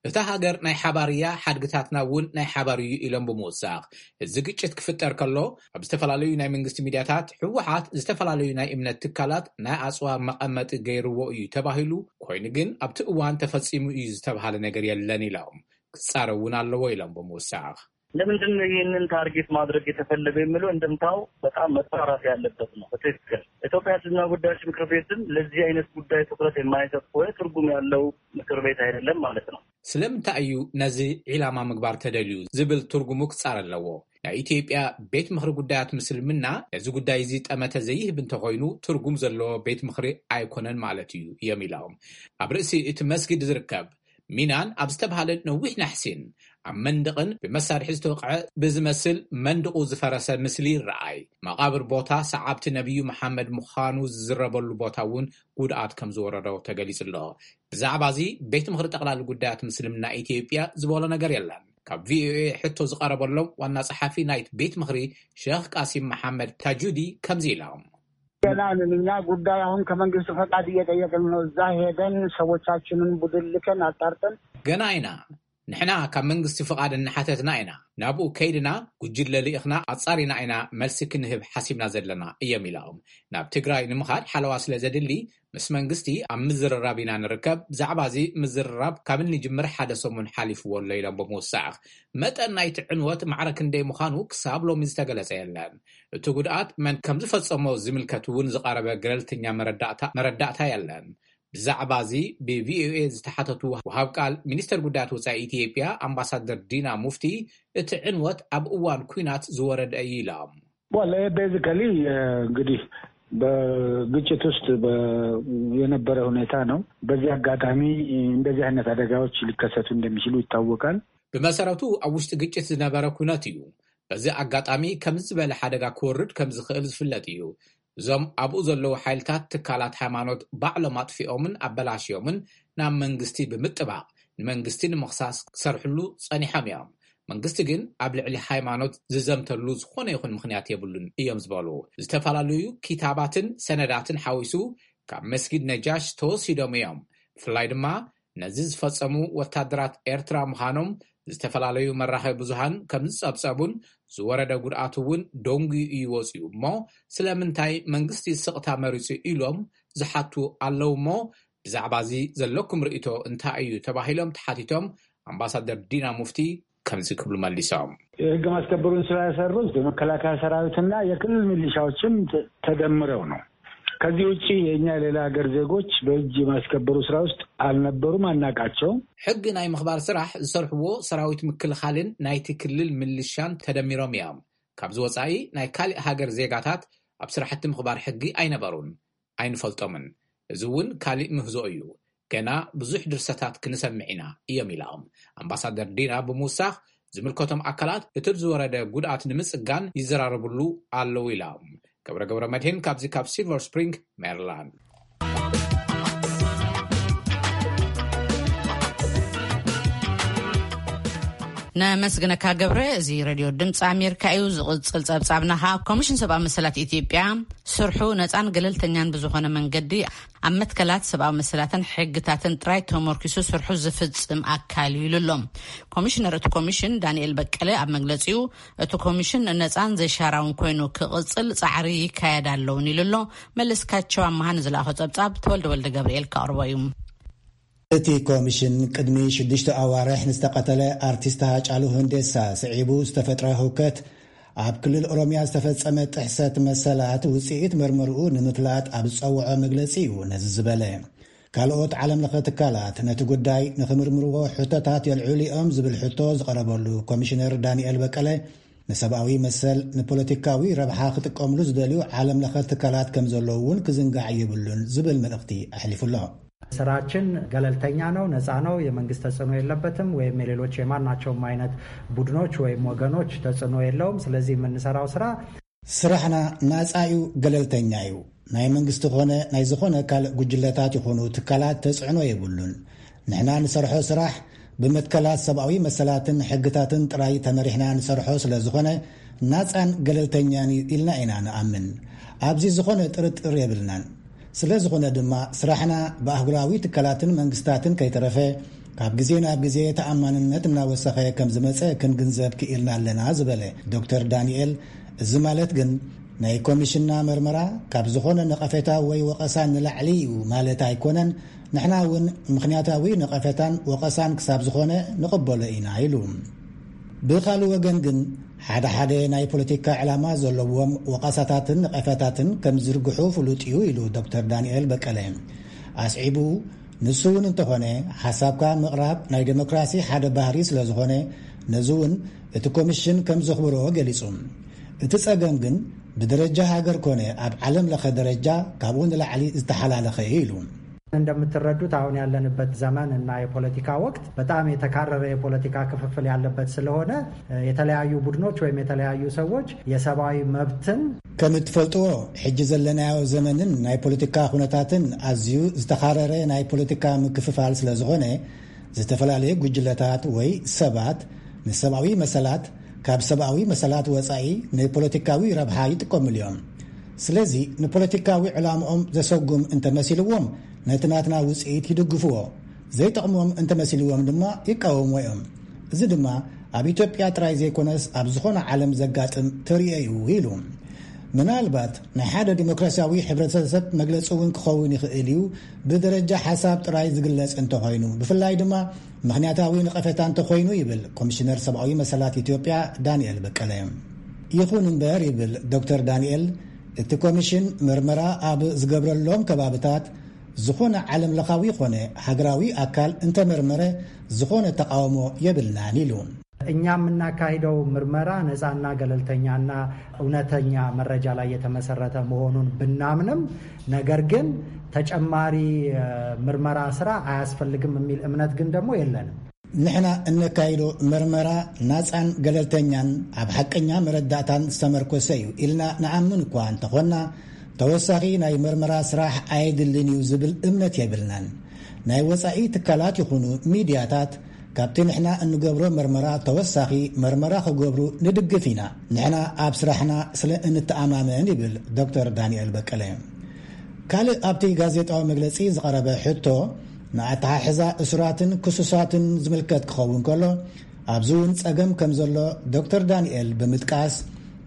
እታ ሃገር ናይ ሓባር እያ፣ ሓድግታትና እውን ናይ ሓባር እዩ ኢሎም ብምውሳኽ፣ እዚ ግጭት ክፍጠር ከሎ ኣብ ዝተፈላለዩ ናይ መንግስቲ ሚድያታት ህወሓት ዝተፈላለዩ ናይ እምነት ትካላት ናይ ኣጽዋር መቐመጢ ገይርዎ እዩ ተባሂሉ፣ ኮይኑ ግን ኣብቲ እዋን ተፈጺሙ እዩ ዝተብሃለ ነገር የለን ኢሎም። ክጻረ እውን ኣለዎ ኢሎም ብምውሳኽ። ለምንድን ነው ይህንን ታርጌት ማድረግ የተፈለገ የሚለው እንደምታው በጣም መጣራት ያለበት ነው። በትክክል ኢትዮጵያ እስልምና ጉዳዮች ምክር ቤትም ለዚህ አይነት ጉዳይ ትኩረት የማይሰጥ ከሆነ ትርጉም ያለው ምክር ቤት አይደለም ማለት ነው። ስለምንታይ እዩ ነዚ ዒላማ ምግባር ተደልዩ ዝብል ትርጉሙ ክጻረ ኣለዎ። ናይ ኢትዮጵያ ቤት ምኽሪ ጉዳያት ምስልምና ነዚ ጉዳይ እዚ ጠመተ ዘይህብ እንተኾይኑ ትርጉም ዘለዎ ቤት ምኽሪ ኣይኮነን ማለት እዩ እዮም ኢሎም። ኣብ ርእሲ እቲ መስጊድ ዝርከብ ሚናን ኣብ ዝተብሃለ ነዊሕ ናሕሲን ኣብ መንደቕን ብመሳርሒ ዝተወቕዐ ብዝመስል መንደቑ ዝፈረሰ ምስሊ ይረኣይ። መቓብር ቦታ ሰዓብቲ ነቢዩ መሓመድ ምዃኑ ዝዝረበሉ ቦታ እውን ጉድኣት ከም ዝወረዶ ተገሊጹ ኣሎ። ብዛዕባ እዚ ቤት ምኽሪ ጠቕላሊ ጉዳያት ምስልምና ኢትዮጵያ ዝበሎ ነገር የለን። ካብ ቪኦኤ ሕቶ ዝቐረበሎም ዋና ጸሓፊ ናይቲ ቤት ምኽሪ ሸኽ ቃሲም መሓመድ ታጁዲ ከምዚ ኢሎም። ገና ንኛ ጉዳይ አሁን ከመንግስት ፈቃድ እየጠየቅን ነው። እዛ ሄደን ሰዎቻችንን ቡድን ልከን አጣርተን ገና ኢና። ንሕና ካብ መንግስቲ ፍቓድ እናሓተትና ኢና። ናብኡ ከይድና ጉጅለ ልኢኽና ኣጻሪና ኢና መልሲ ክንህብ ሓሲብና ዘለና እዮም ኢሎም። ናብ ትግራይ ንምኻድ ሓለዋ ስለ ዘድሊ ምስ መንግስቲ ኣብ ምዝርራብ ኢና ንርከብ። ብዛዕባ እዚ ምዝርራብ ካብ እንጅምር ሓደ ሰሙን ሓሊፍዎ ኣሎ ኢሎም ብምውሳኽ፣ መጠን ናይቲ ዕንወት ማዕረ ክንደይ ምዃኑ ክሳብ ሎሚ ዝተገለጸ የለን። እቲ ጉድኣት መን ከም ዝፈጸሞ ዝምልከት እውን ዝቐረበ ገለልተኛ መረዳእታ መረዳእታ የለን። ብዛዕባ እዚ ብቪኦኤ ዝተሓተቱ ወሃብ ቃል ሚኒስተር ጉዳያት ወጻኢ ኢትዮጵያ ኣምባሳደር ዲና ሙፍቲ፣ እቲ ዕንወት ኣብ እዋን ኲናት ዝወረደ እዩ ኢሎም። Well, basically, uh, እንግዲህ በግጭት ውስጥ በ- የነበረ ሁኔታ ነው። በዚህ አጋጣሚ እንደዚህ አይነት አደጋዎች ሊከሰቱ እንደሚችሉ ይታወቃል። ብመሰረቱ ኣብ ውሽጢ ግጭት ዝነበረ ኩነት እዩ። በዚ ኣጋጣሚ ከምዚ ዝበለ ሓደጋ ክወርድ ከም ዝኽእል ዝፍለጥ እዩ። እዞም ኣብኡ ዘለዉ ሓይልታት ትካላት ሃይማኖት ባዕሎም ኣጥፊኦምን ኣበላሽዮምን ናብ መንግስቲ ብምጥባቕ ንመንግስቲ ንምኽሳስ ክሰርሕሉ ጸኒሖም እዮም። መንግስቲ ግን ኣብ ልዕሊ ሃይማኖት ዝዘምተሉ ዝኾነ ይኹን ምኽንያት የብሉን እዮም ዝበሉ። ዝተፈላለዩ ኪታባትን ሰነዳትን ሓዊሱ ካብ መስጊድ ነጃሽ ተወሲዶም እዮም። ብፍላይ ድማ ነዚ ዝፈጸሙ ወታደራት ኤርትራ ምዃኖም ዝተፈላለዩ መራኸቢ ብዙሃን ከም ዝጸብጸቡን ዝወረደ ጉድኣት እውን ደንጉዩ እዩ ወጺኡ እሞ ስለምንታይ መንግስቲ ስቕታ መሪጹ ኢሎም ዝሓቱ ኣለዉ እሞ ብዛዕባ እዚ ዘለኩም ርእቶ እንታይ እዩ ተባሂሎም ተሓቲቶም ኣምባሳደር ዲና ሙፍቲ ከምዚ ክብሉ መሊሶም። የህግ ማስከበሩን ስራ የሰሩት የመከላከያ ሰራዊትና የክልል ሚሊሻዎችም ተ- ተደምረው ነው። ከዚህ ውጭ የእኛ የሌላ ሀገር ዜጎች በህግ የማስከበሩ ስራ ውስጥ አልነበሩም፣ አናቃቸውም። ሕጊ ናይ ምኽባር ስራሕ ዝሰርሕዎ ሰራዊት ምክልኻልን ናይቲ ክልል ምልሻን ተደሚሮም እዮም። ካብዚ ወፃኢ ናይ ካሊእ ሃገር ዜጋታት ኣብ ስራሕቲ ምኽባር ሕጊ ኣይነበሩን፣ ኣይንፈልጦምን። እዚ እውን ካሊእ ምህዞ እዩ። ገና ብዙሕ ድርሰታት ክንሰምዕ ኢና እዮም ኢሎም። ኣምባሳደር ዲና ብምውሳኽ ዝምልከቶም ኣካላት እቲ ዝወረደ ጉድኣት ንምፅጋን ይዘራረብሉ ኣለዉ ኢሎም። ገብረ ገብረ መድህን ካብዚ ካብ ሲልቨር ስፕሪንግ ሜሪላንድ። ነመስግነካ ገብረ። እዚ ሬድዮ ድምፂ ኣሜሪካ እዩ። ዝቕፅል ፀብፃብና ከዓ ኮሚሽን ሰብኣዊ መሰላት ኢትዮጵያ ስርሑ ነፃን ገለልተኛን ብዝኾነ መንገዲ ኣብ መትከላት ሰብኣዊ መሰላትን ሕግታትን ጥራይ ተመርኪሱ ስርሑ ዝፍፅም ኣካል እዩ ኢሉ ኣሎ። ኮሚሽነር እቲ ኮሚሽን ዳንኤል በቀለ ኣብ መግለፂኡ እቲ ኮሚሽን ነፃን ዘይሻራውን ኮይኑ ክቕፅል ፃዕሪ ይካየድ ኣለውን ኢሉ ኣሎ። መለስካቸው ኣመሃ ንዝለኣኾ ፀብፃብ ተወልደ ወልደ ገብርኤል ከቕርቦ እዩ። እቲ ኮሚሽን ቅድሚ ሽዱሽተ ኣዋርሕ ንዝተቐተለ ኣርቲስት ሃጫሉ ሁንዴሳ ስዒቡ ዝተፈጥረ ህውከት ኣብ ክልል ኦሮሚያ ዝተፈጸመ ጥሕሰት መሰላት ውጽኢት መርመርኡ ንምፍላጥ ኣብ ዝጸውዖ መግለጺ እዩ ነዚ ዝበለ። ካልኦት ዓለም ለኸ ትካላት ነቲ ጉዳይ ንኽምርምርዎ ሕቶታት የልዕሉ እዮም ዝብል ሕቶ ዝቐረበሉ ኮሚሽነር ዳንኤል በቀለ ንሰብኣዊ መሰል ንፖለቲካዊ ረብሓ ክጥቀምሉ ዝደልዩ ዓለም ለኸ ትካላት ከም ዘለዉ እውን ክዝንጋዕ የብሉን ዝብል መልእኽቲ ኣሕሊፉ ኣሎ። ስራችን ገለልተኛ ነው፣ ነፃ ነው፣ የመንግስት ተጽዕኖ የለበትም ወይም የሌሎች የማናቸውም አይነት ቡድኖች ወይም ወገኖች ተጽዕኖ የለውም። ስለዚህ የምንሰራው ስራ ስራሕና ናጻ እዩ፣ ገለልተኛ እዩ። ናይ መንግስቲ ኾነ ናይ ዝኾነ ካልእ ጉጅለታት ይኹኑ ትካላት ተጽዕኖ የብሉን። ንሕና ንሰርሖ ስራሕ ብመትከላት ሰብኣዊ መሰላትን ሕግታትን ጥራይ ተመሪሕና ንሰርሖ ስለ ዝኾነ ናጻን ገለልተኛን እዩ ኢልና ኢና ንኣምን። ኣብዚ ዝኾነ ጥርጥር የብልናን። ስለ ዝኾነ ድማ ስራሕና ብኣህጉራዊ ትካላትን መንግስታትን ከይተረፈ ካብ ግዜ ናብ ግዜ ተኣማንነት እናወሰኸ ከም ዝመጸ ክንግንዘብ ክኢልና ኣለና ዝበለ ዶክተር ዳንኤል፣ እዚ ማለት ግን ናይ ኮሚሽንና መርመራ ካብ ዝኾነ ነቐፌታ ወይ ወቐሳ ንላዕሊ እዩ ማለት ኣይኮነን። ንሕና እውን ምኽንያታዊ ነቐፌታን ወቐሳን ክሳብ ዝኾነ ንቕበሎ ኢና ኢሉ። ብኻልእ ወገን ግን ሓደ ሓደ ናይ ፖለቲካ ዕላማ ዘለዎም ወቐሳታትን ነቐፌታትን ከም ዝዝርግሑ ፍሉጥ እዩ ኢሉ ዶክተር ዳንኤል በቀለ። ኣስዒቡ ንሱ እውን እንተኾነ ሓሳብካ ምቕራብ ናይ ዴሞክራሲ ሓደ ባህሪ ስለ ዝኾነ ነዚ እውን እቲ ኮሚሽን ከም ዘኽብሮ ገሊጹ። እቲ ጸገም ግን ብደረጃ ሃገር ኮነ ኣብ ዓለም ለኸ ደረጃ ካብኡ ንላዕሊ ዝተሓላለኸ እዩ ኢሉ። እንደምትረዱት አሁን ያለንበት ዘመን እና የፖለቲካ ወቅት በጣም የተካረረ የፖለቲካ ክፍፍል ያለበት ስለሆነ የተለያዩ ቡድኖች ወይም የተለያዩ ሰዎች የሰብአዊ መብትን ከም እትፈልጥዎ ሕጂ ዘለናዮ ዘመንን ናይ ፖለቲካ ኩነታትን ኣዝዩ ዝተኻረረ ናይ ፖለቲካ ምክፍፋል ስለ ዝኾነ ዝተፈላለዩ ጉጅለታት ወይ ሰባት ንሰብኣዊ መሰላት ካብ ሰብኣዊ መሰላት ወጻኢ ንፖለቲካዊ ረብሓ ይጥቀምሉ እዮም። ስለዚ ንፖለቲካዊ ዕላምኦም ዘሰጉም እንተመሲልዎም ነቲ ናትና ውጽኢት ይድግፍዎ፣ ዘይጠቕሞም እንተመሲልዎም ድማ ይቃወምዎ እዮም። እዚ ድማ ኣብ ኢትዮጵያ ጥራይ ዘይኮነስ ኣብ ዝኾነ ዓለም ዘጋጥም ተርእዮ እዩ ኢሉ። ምናልባት ናይ ሓደ ዲሞክራሲያዊ ሕብረተሰብ መግለፂ እውን ክኸውን ይኽእል እዩ፣ ብደረጃ ሓሳብ ጥራይ ዝግለጽ እንተኾይኑ፣ ብፍላይ ድማ ምኽንያታዊ ነቐፌታ እንተኾይኑ ይብል ኮሚሽነር ሰብኣዊ መሰላት ኢትዮጵያ ዳንኤል በቀለ። ይኹን እምበር ይብል ዶክተር ዳንኤል፣ እቲ ኮሚሽን መርመራ ኣብ ዝገብረሎም ከባብታት ዝኾነ ዓለም ለኻዊ ኾነ ሃገራዊ ኣካል እንተመርመረ ዝኾነ ተቃውሞ የብልናን ኢሉ። እኛ የምናካሂደው ምርመራ ነፃና ገለልተኛና እውነተኛ መረጃ ላይ የተመሰረተ መሆኑን ብናምንም፣ ነገር ግን ተጨማሪ ምርመራ ስራ አያስፈልግም የሚል እምነት ግን ደግሞ የለንም። ንሕና እነካይዶ መርመራ ናፃን ገለልተኛን ኣብ ሓቀኛ መረዳእታን ዝተመርኮሰ እዩ ኢልና ንኣምን እኳ እንተኾንና፣ ተወሳኺ ናይ መርመራ ስራሕ ኣየድልን እዩ ዝብል እምነት የብልናን። ናይ ወፃኢ ትካላት ይኹኑ ሚድያታት ካብቲ ንሕና እንገብሮ መርመራ ተወሳኺ መርመራ ክገብሩ ንድግፍ ኢና። ንሕና ኣብ ስራሕና ስለ እንተኣማመን፣ ይብል ዶክተር ዳንኤል በቀለ። ካልእ ኣብቲ ጋዜጣዊ መግለጺ ዝቐረበ ሕቶ፣ ንኣተሓሕዛ እሱራትን ክሱሳትን ዝምልከት ክኸውን ከሎ፣ ኣብዚ እውን ጸገም ከም ዘሎ ዶክተር ዳንኤል ብምጥቃስ፣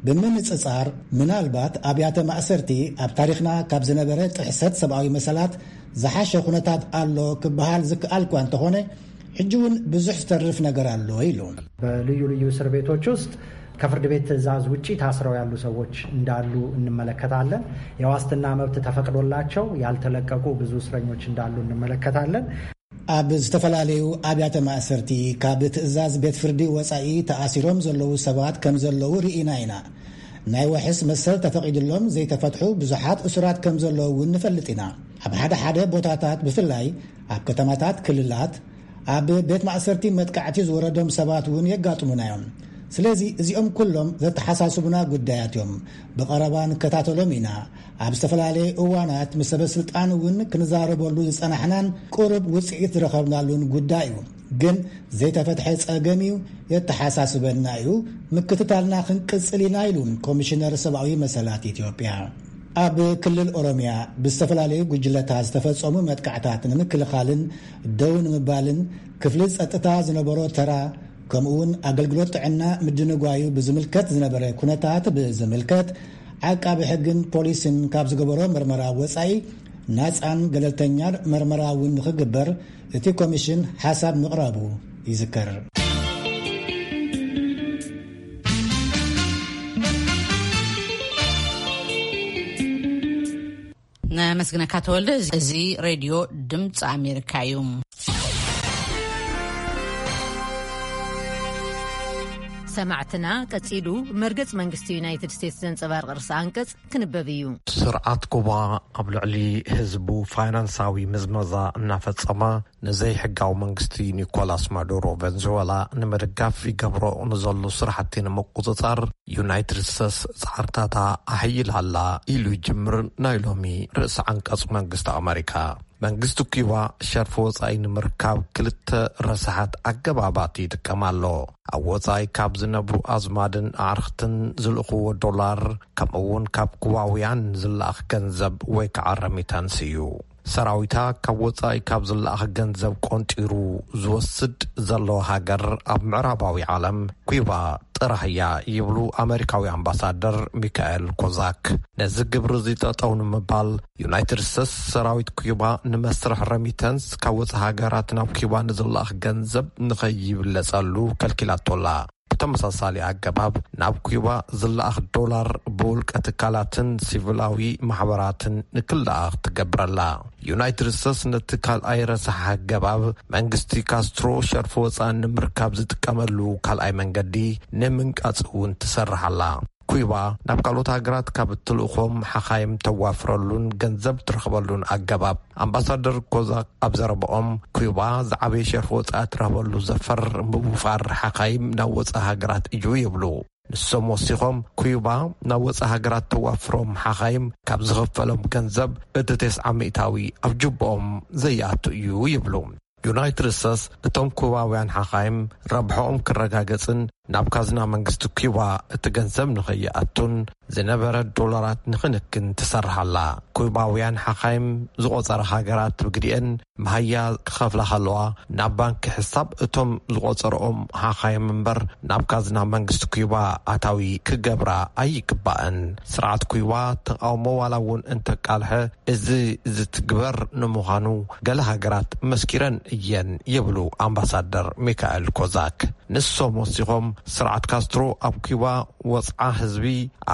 ብምንጽጻር፣ ምናልባት ኣብያተ ማእሰርቲ ኣብ ታሪኽና ካብ ዝነበረ ጥሕሰት ሰብኣዊ መሰላት ዝሓሸ ኩነታት ኣሎ ክበሃል ዝከኣል እኳ እንተኾነ፣ ሕጂ እውን ብዙሕ ዝተርፍ ነገር ኣሎ ኢሉ። በልዩ ልዩ እስር ቤቶች ውስጥ ከፍርድ ቤት ትዕዛዝ ውጪ ታስረው ያሉ ሰዎች እንዳሉ እንመለከታለን። የዋስትና መብት ተፈቅዶላቸው ያልተለቀቁ ብዙ እስረኞች እንዳሉ እንመለከታለን። ኣብ ዝተፈላለዩ ኣብያተ ማእሰርቲ ካብ ትዕዛዝ ቤት ፍርዲ ወጻኢ ተኣሲሮም ዘለዉ ሰባት ከም ዘለዉ ርኢና ኢና። ናይ ዋሕስ መሰል ተፈቒድሎም ዘይተፈትሑ ብዙሓት እሱራት ከም ዘለዉ እውን ንፈልጥ ኢና። ኣብ ሓደ ሓደ ቦታታት፣ ብፍላይ ኣብ ከተማታት ክልላት፣ ኣብ ቤት ማእሰርቲ መጥቃዕቲ ዝወረዶም ሰባት እውን የጋጥሙና እዮም። ስለዚ እዚኦም ኩሎም ዘተሓሳስቡና ጉዳያት እዮም። ብቐረባ ንከታተሎም ኢና። ኣብ ዝተፈላለየ እዋናት ምስ ሰበ ስልጣን እውን ክንዛረበሉ ዝጸናሕናን ቁሩብ ውጽኢት ዝረኸብናሉን ጉዳይ እዩ። ግን ዘይተፈትሐ ጸገም እዩ፣ የተሓሳስበና እዩ፣ ምክትታልና ክንቅጽል ኢና፣ ኢሉ ኮሚሽነር ሰብኣዊ መሰላት ኢትዮጵያ። ኣብ ክልል ኦሮሚያ ብዝተፈላለዩ ጉጅለታት ዝተፈጸሙ መጥቃዕታት ንምክልኻልን ደው ንምባልን ክፍሊ ጸጥታ ዝነበሮ ተራ፣ ከምኡውን ኣገልግሎት ጥዕና ምድንጓዩ ብዝምልከት ዝነበረ ኩነታት ብዝምልከት፣ ዓቃቢ ሕግን ፖሊስን ካብ ዝገበሮ መርመራ ወጻኢ፣ ናጻን ገለልተኛን መርመራ እውን ንኽግበር እቲ ኮሚሽን ሓሳብ ምቕራቡ ይዝከር። ነመስግነካ ተወልደ። እዚ ሬድዮ ድምፂ ኣሜሪካ እዩ። ሰማዕትና፣ ቀጺሉ መርገጽ መንግስቲ ዩናይትድ ስቴትስ ዘንጸባርቕ ርእሰ ኣንቀጽ ክንበብ እዩ። ስርዓት ኩባ ኣብ ልዕሊ ህዝቡ ፋይናንሳዊ ምዝመዛ እናፈጸመ፣ ንዘይሕጋዊ መንግስቲ ኒኮላስ ማዱሮ ቨንዙዌላ ንምድጋፍ ይገብሮ ንዘሎ ስራሕቲ ንምቁጽጻር ዩናይትድ ስቴትስ ጻዕርታታ ኣሕይላ ኣላ ኢሉ ይጅምር ናይ ሎሚ ርእሰ ዓንቀጽ መንግስቲ ኣመሪካ። መንግስቲ ኩባ ሸርፊ ወጻኢ ንምርካብ ክልተ ረሳሓት ኣገባባት ይጥቀም ኣሎ። ኣብ ወጻኢ ካብ ዝነብሩ ኣዝማድን ኣዕርኽትን ዝልእኽዎ ዶላር፣ ከምኡ እውን ካብ ኩባውያን ዝለኣኽ ገንዘብ ወይ ከዓ ረሚታንስ እዩ። ሰራዊታ ካብ ወጻኢ ካብ ዝለኣኽ ገንዘብ ቆንጢሩ ዝወስድ ዘሎ ሃገር ኣብ ምዕራባዊ ዓለም ኩባ ጥራሕ እያ ይብሉ ኣመሪካዊ ኣምባሳደር ሚካኤል ኮዛክ። ነዚ ግብሪ እዚ ጠጠው ንምባል ዩናይትድ ስቴትስ ሰራዊት ኩባ ንመስርሕ ረሚተንስ ካብ ወጻኢ ሃገራት ናብ ኩባ ንዝለኣኽ ገንዘብ ንኸይብለጸሉ ከልኪላቶላ። ብተመሳሳሊ ኣገባብ ናብ ኩባ ዝለኣኽ ዶላር ብውልቀ ትካላትን ሲቪላዊ ማሕበራትን ንክለኣኽ ትገብረላ። ዩናይትድ ስቴትስ ነቲ ካልኣይ ረሳሕ ኣገባብ መንግስቲ ካስትሮ ሸርፊ ወፃኢ ንምርካብ ዝጥቀመሉ ካልኣይ መንገዲ ንምንቃፅ እውን ትሰርሕ ኣላ። ኩባ ናብ ካልኦት ሃገራት ካብ እትልእኾም ሓኻይም ተዋፍረሉን ገንዘብ ትረኽበሉን ኣገባብ ኣምባሳደር ኮዛክ ኣብ ዘረባኦም፣ ኩባ ዝዓበየ ሸርፊ ወፃኢ ትረኽበሉ ዘፈር ምውፋር ሓኻይም ናብ ወፃኢ ሃገራት እዩ ይብሉ። ንሶም ወሲኾም፣ ኩባ ናብ ወፃኢ ሃገራት ተዋፍሮም ሓኻይም ካብ ዝኽፈሎም ገንዘብ እቲ ተስዓ ሚእታዊ ኣብ ጅቦኦም ዘይኣቱ እዩ ይብሉ። ዩናይትድ ስቴትስ እቶም ኩባውያን ሓኻይም ረብሖኦም ክረጋገጽን ናብ ካዝና መንግስቲ ኩባ እቲ ገንዘብ ንኸይኣቱን ዝነበረ ዶላራት ንኽንክን ትሰርሕ ኣላ። ኩባውያን ሓኻይም ዝቖጸራ ሃገራት ብግዲኤን መሃያ ክኸፍላ ከለዋ ናብ ባንኪ ሕሳብ እቶም ዝቖጸርኦም ሓኻይም እምበር ናብ ካዝና መንግስቲ ኩባ ኣታዊ ክገብራ ኣይግባእን። ስርዓት ኩባ ተቓውሞ ዋላ እውን እንተቃልሐ፣ እዚ ዝትግበር ንምዃኑ ገለ ሃገራት መስኪረን እየን ይብሉ ኣምባሳደር ሚካኤል ኮዛክ። ንሶም ወሲኾም፣ ስርዓት ካስትሮ ኣብ ኪባ ወጽዓ ህዝቢ፣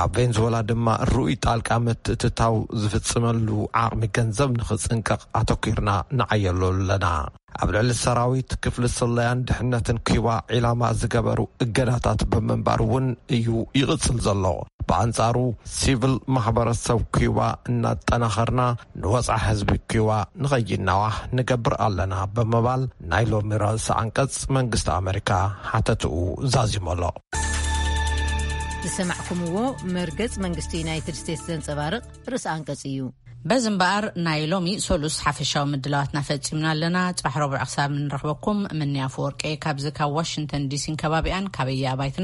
ኣብ ቬንዙዌላ ድማ ርኡይ ጣልቃ ምትእትታው ዝፍጽመሉ ዓቕሚ ገንዘብ ንኽጽንቀቕ ኣተኲርና ንዓየሉ ኣለና። ኣብ ልዕሊ ሰራዊት፣ ክፍሊ ስለያን ድሕነትን ኪባ ዒላማ ዝገበሩ እገዳታት ብምንባር እውን እዩ ይቕጽል ዘሎ። ብኣንጻሩ፣ ሲቪል ማሕበረሰብ ኪባ እናጠናኸርና ንወጽዓ ህዝቢ ኪባ ንኸይናዋሕ ንገብር ኣለና ብምባል ናይ ሎሚ ርእሰ ኣንቀጽ መንግስቲ ኣመሪካ ሓተትኡ ዛዚሞሎ። ዝሰማዕኩምዎ መርገጽ መንግስቲ ዩናይትድ ስቴትስ ዘንጸባርቕ ርእሰ ኣንቀጽ እዩ። በዚ እምበኣር ናይ ሎሚ ሰሉስ ሓፈሻዊ ምድላዋትና ፈጺምና ኣለና። ጽባሕ ረቡዕ ክሳብ እንረኽበኩም ምንያ ኣፈወርቂ ካብዚ ካብ ዋሽንግተን ዲሲን ከባቢኣን ካበየ ኣባይትና